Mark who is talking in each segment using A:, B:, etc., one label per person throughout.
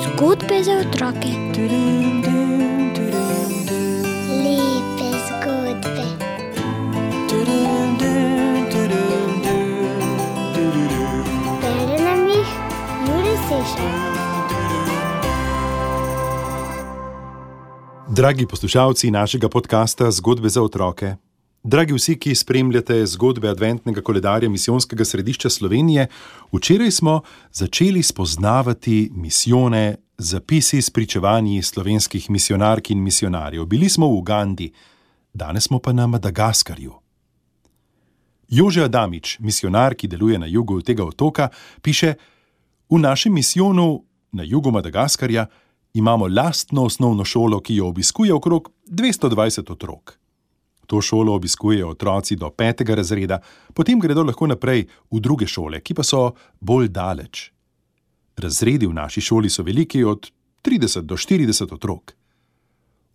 A: Zgodbe za otroke.
B: Lepe zgodbe. Bere nam jih Jure Sešar.
C: Dragi poslušalci našega podcasta Zgodbe za otroke, dragi vsi, ki spremljate zgodbe adventnega koledarja Misijonskega središča Slovenije, včeraj smo začeli spoznavati misijone, zapisi s pričevanji slovenskih misijonark in misijonarjev. Bili smo v Ugandi, danes smo pa na Madagaskarju. Jože Adamič, misijonar, ki deluje na jugu tega otoka, piše: v našem misijonu na jugu Madagaskarja imamo lastno osnovno šolo, ki jo obiskuje okrog 220 otrok. To šolo obiskujejo otroci do 5. razreda, potem gredo lahko naprej v druge šole, ki pa so bolj daleč. Razredi v naši šoli so veliki od 30 do 40 otrok.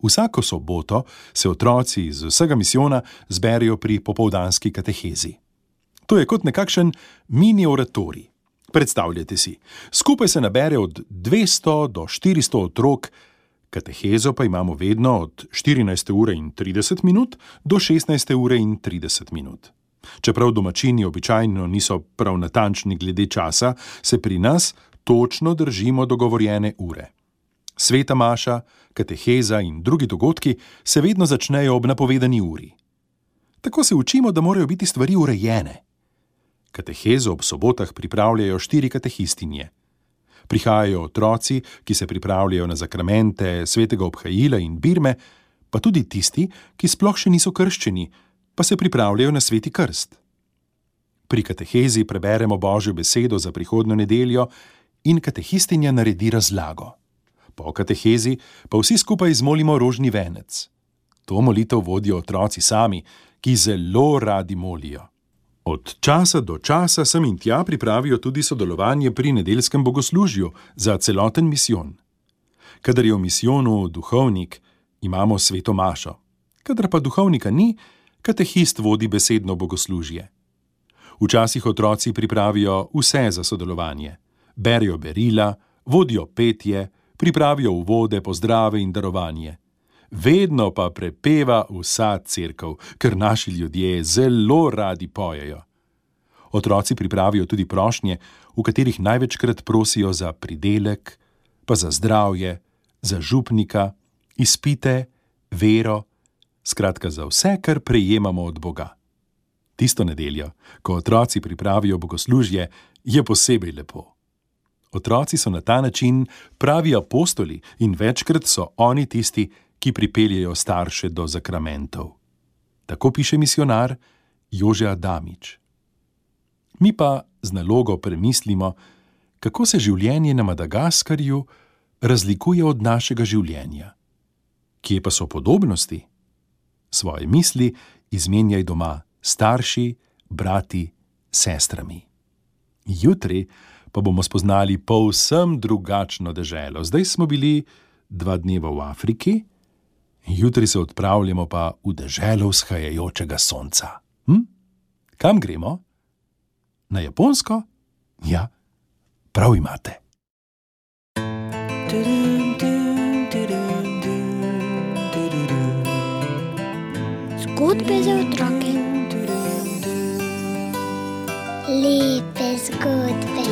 C: Vsako soboto se otroci iz vsega misijona zberejo pri popoldanski katehezi. To je kot nekakšen mini oratorij. Predstavljajte si, skupaj se nabere od 200 do 400 otrok, katehezo pa imamo vedno od 14:30 do 16:30. Čeprav domačini običajno niso prav natančni glede časa, se pri nas točno držimo dogovorjene ure. Sveta maša, kateheza in drugi dogodki se vedno začnejo ob napovedani uri. Tako se učimo, da morajo biti stvari urejene. Katehezo ob sobotah pripravljajo 4 katehistinje. Prihajajo otroci, ki se pripravljajo na zakramente svetega obhajila in birme, pa tudi tisti, ki sploh še niso krščeni, pa se pripravljajo na sveti krst. Pri katehezi preberemo Božjo besedo za prihodnjo nedeljo in katehistinja naredi razlago. Po katehezi pa vsi skupaj izmolimo rožni venec. To molitev vodijo otroci sami, ki zelo radi molijo. Od časa do časa sem in tja pripravijo tudi sodelovanje pri nedeljskem bogoslužju za celoten misijon. Kadar je v misijonu duhovnik, imamo sveto mašo. Kadar pa duhovnika ni, katehist vodi besedno bogoslužje. Včasih otroci pripravijo vse za sodelovanje. Berijo berila, vodijo petje, pripravijo uvode, pozdrave in darovanje. Vedno pa prepeva vsa cerkev, ker naši ljudje zelo radi pojejo. Otroci pripravijo tudi prošnje, v katerih največkrat prosijo za pridelek, pa za zdravje, za župnika, izpite, vero, skratka za vse, kar prejemamo od Boga. Tisto nedeljo, ko otroci pripravijo bogoslužje, je posebej lepo. Otroci so na ta način pravi apostoli in večkrat so oni tisti, ki pripeljejo starše do zakramentov. Tako piše misijonar Jože Adamič. Mi pa z nalogo premislimo, kako se življenje na Madagaskarju razlikuje od našega življenja. Kje pa so podobnosti? Svoje misli izmenjaj doma s starši, brati, sestrami. Jutri pa bomo spoznali povsem drugačno deželo. Zdaj smo bili 2 dneva v Afriki, jutri se odpravljamo pa v deželo vzhajajočega sonca. Kam gremo? Na Japonsko? Ja, prav imate.
A: Zgodbe za otroke.
B: Lepe zgodbe.